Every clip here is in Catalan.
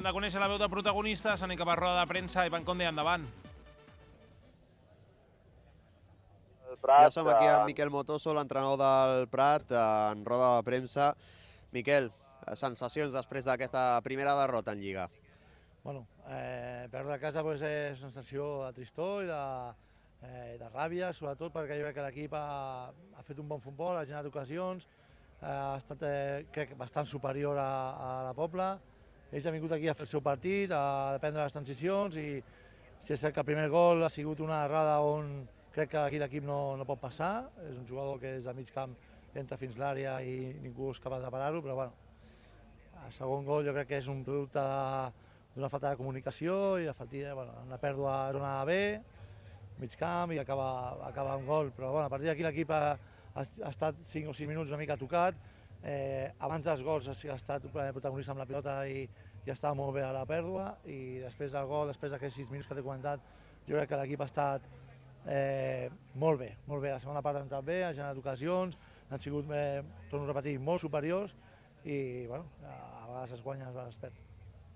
de conèixer la veu de protagonistes, anem cap a roda de premsa. Ivan Conde, endavant. Ja som aquí amb Miquel Motoso, l'entrenador del Prat, en roda de premsa. Miquel, sensacions després d'aquesta primera derrota en Lliga? Bueno, perdre a casa és una sensació de tristor i de ràbia, sobretot perquè jo crec que l'equip ha fet un bon futbol, ha generat ocasions, ha estat, crec, bastant superior a la Pobla. Ells han vingut aquí a fer el seu partit, a prendre les transicions i si és cert que el primer gol ha sigut una errada on crec que aquí l'equip no pot passar. És un jugador que és de mig camp, entra fins l'àrea i ningú és capaç de parar-ho, però bueno, el segon gol jo crec que és un producte d'una falta de comunicació i una pèrdua era una B, mig camp i acaba amb gol, però bueno, a partir d'aquí l'equip ha estat 5 o 6 minuts una mica tocat. Abans dels gols ha estat protagonista amb la pilota i estava molt bé a la pèrdua, i després del gol, després d'aquests 6 minuts que t'he comentat, jo crec que l'equip ha estat molt bé. La segona part ha entrat bé, ha generat ocasions, han sigut, torno a repetir, molt superiors i bueno, a vegades es guanya, a vegades es perd.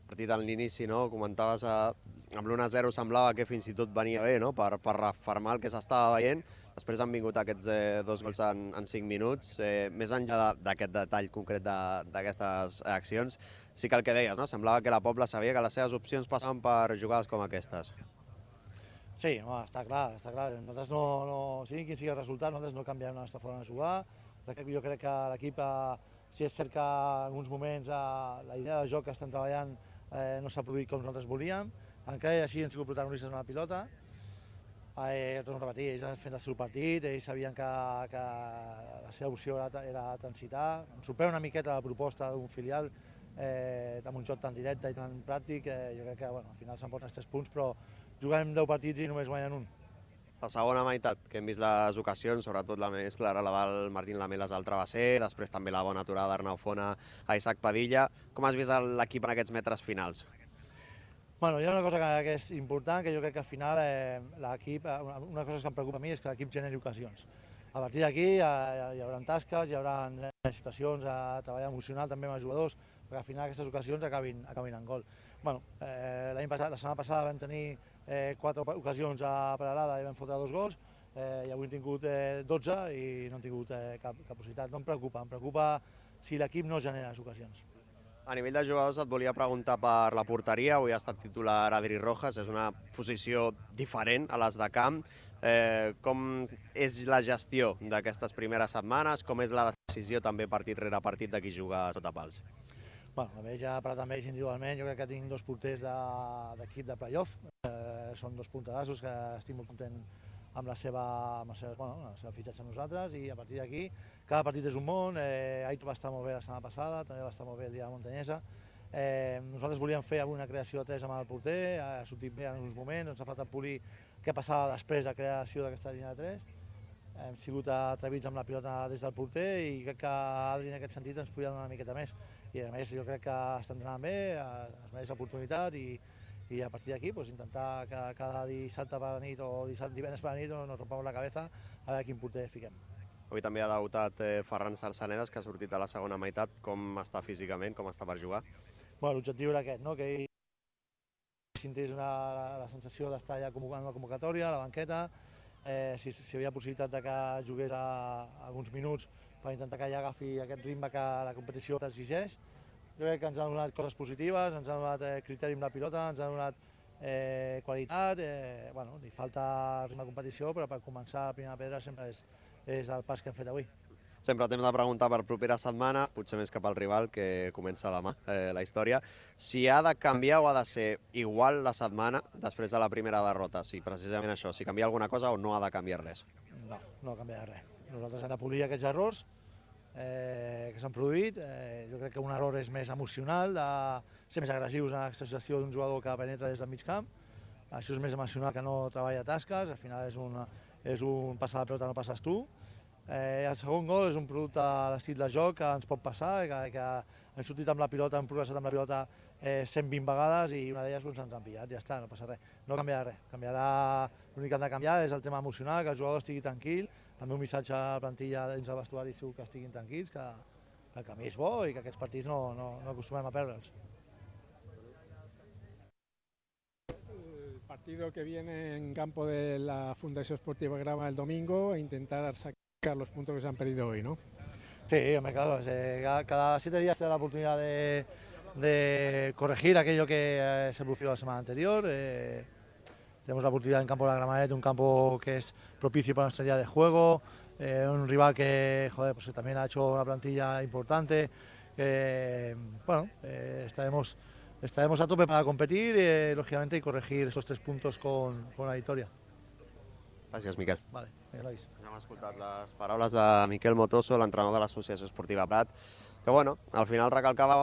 El partit a l'inici, no? Comentaves amb l'1-0 semblava que fins i tot venia bé, no? Per refermar el que s'estava veient. Després han vingut aquests 2 gols en 5 minuts. Més enllà d'aquest detall concret d'aquestes accions, sí que el que deies, no? Semblava que la Pobla sabia que les seves opcions passaven per jugades com aquestes. Sí, està clar. Nosaltres sigui quin sigui el resultat, nosaltres no canviem la nostra forma de jugar. Jo crec que l'equip, si és cert que en alguns moments la idea de joc que estem treballant no s'ha produït com nosaltres volíem, encara així han sigut protagonistes en la pilota. Torno a repetir, ells han fet el seu partit, ells sabien que la seva opció era transitar. Em sorprèn una miqueta la proposta d'un filial amb un joc tan directe i tan pràctic. Jo crec que al final s'emporten els 3 punts, però jugarem 10 partits i només guanyen un. La segona meitat, que hem vist les ocasions, sobretot la més clara, la del Martín Lamelas al travesser, després també la bona aturada d'Arnau Fona a Isaac Padilla. Com has vist l'equip en aquests metres finals? Bueno, hi ha una cosa que és important, que jo crec que al final l'equip, una cosa que em preocupa a mi és que l'equip generi ocasions. A partir d'aquí hi haurà tasques, hi haurà situacions a treballar emocional també amb els jugadors, perquè al final aquestes ocasions acabin en gol. Bueno, la setmana passada vam tenir 4 ocasions a Peralada i vam fotre 2 gols, i avui hem tingut 12 i no hem tingut cap possibilitat. No em preocupa si l'equip no genera les ocasions. A nivell de jugadors et volia preguntar per la porteria. Avui ha estat titular Adri Rojas, és una posició diferent a les de camp. Com és la gestió d'aquestes primeres setmanes? Com és la decisió també partit rere partit de qui juga sota pals? Bueno, ja he parlat amb ells individualment, jo crec que tinc 2 porters d'equip de playoff. Són 2 punterassos que estic molt content amb la seva fitxatge amb nosaltres, i a partir d'aquí cada partit és un món. Aitor va estar molt bé la setmana passada, també va estar molt bé el dia de Montanyesa. Nosaltres volíem fer avui una creació de 3 amb el porter, ha sortit bé en uns moments, ens ha faltat polir què passava després de la creació d'aquesta línia de 3. Hem sigut atrevits amb la pilota des del porter i crec que Adri en aquest sentit ens podia donar una miqueta més. I a més jo crec que està entrenant bé, es mereix l'oportunitat i a partir d'aquí intentar que cada dissabte per la nit o divendres per la nit nos rompamos la cabeza a veure quin porter fiquem. Avui també ha debutat Ferran Sarsanedas, que ha sortit a la segona meitat. Com està físicament, com està per jugar? L'objectiu era aquest, que ell sentés la sensació d'estar ja en la convocatòria, a la banqueta, si hi havia possibilitat que jugués alguns minuts per intentar que ella agafi aquest ritme que la competició t'exigeix. Jo crec que ens ha donat coses positives, ens ha donat criteri amb la pilota, ens ha donat qualitat. Li falta ritme de competició, però per començar la primera pedra sempre és el pas que hem fet avui. Sempre t'hem de preguntar per propera setmana, potser més cap al rival, que comença demà la història, si ha de canviar o ha de ser igual la setmana després de la primera derrota, si precisament això, si canvia alguna cosa o no ha de canviar res. No canvia res. Nosaltres hem de polir aquests errors que s'han produït. Jo crec que un error és més emocional, de ser més agressius en l'excessió d'un jugador que penetra des del mig camp. Això és més emocional que no treballa tasques, al final és un passar la pelota no passes tu. El segon gol és un producte de l'estil de joc que ens pot passar, que hem sortit amb la pilota, hem progressat amb la pilota 120 vegades i una d'elles ens han pillat, ja està, no passa res. No canviarà res, l'únic que han de canviar és el tema emocional, que el jugador estigui tranquil. El meu missatge a la plantilla dins del vestuari és que estiguin tranquils, que el camí és bo i que aquests partits no acostumem a perdre'ls. Partido que viene en campo de la Fundación Esportiva Grama el domingo e intentar sacar los puntos que se han perdido hoy, ¿no? Sí, hombre, claro, cada 7 días te da la oportunidad de corregir aquello que se produjo la semana anterior. Tenemos la oportunidad en campo de la Gramanet, un campo que es propicio para nuestra idea de juego, un rival que, joder, pues también ha hecho una plantilla importante. Bueno, estaremos a tope para competir, lógicamente, y corregir esos 3 puntos con la victoria. Gràcies, Miquel. Vale, Elois. Hem escoltat les paraules de Miquel Motoso, l'entrenador de l'Associació Esportiva Prat, que bueno, al final recalcava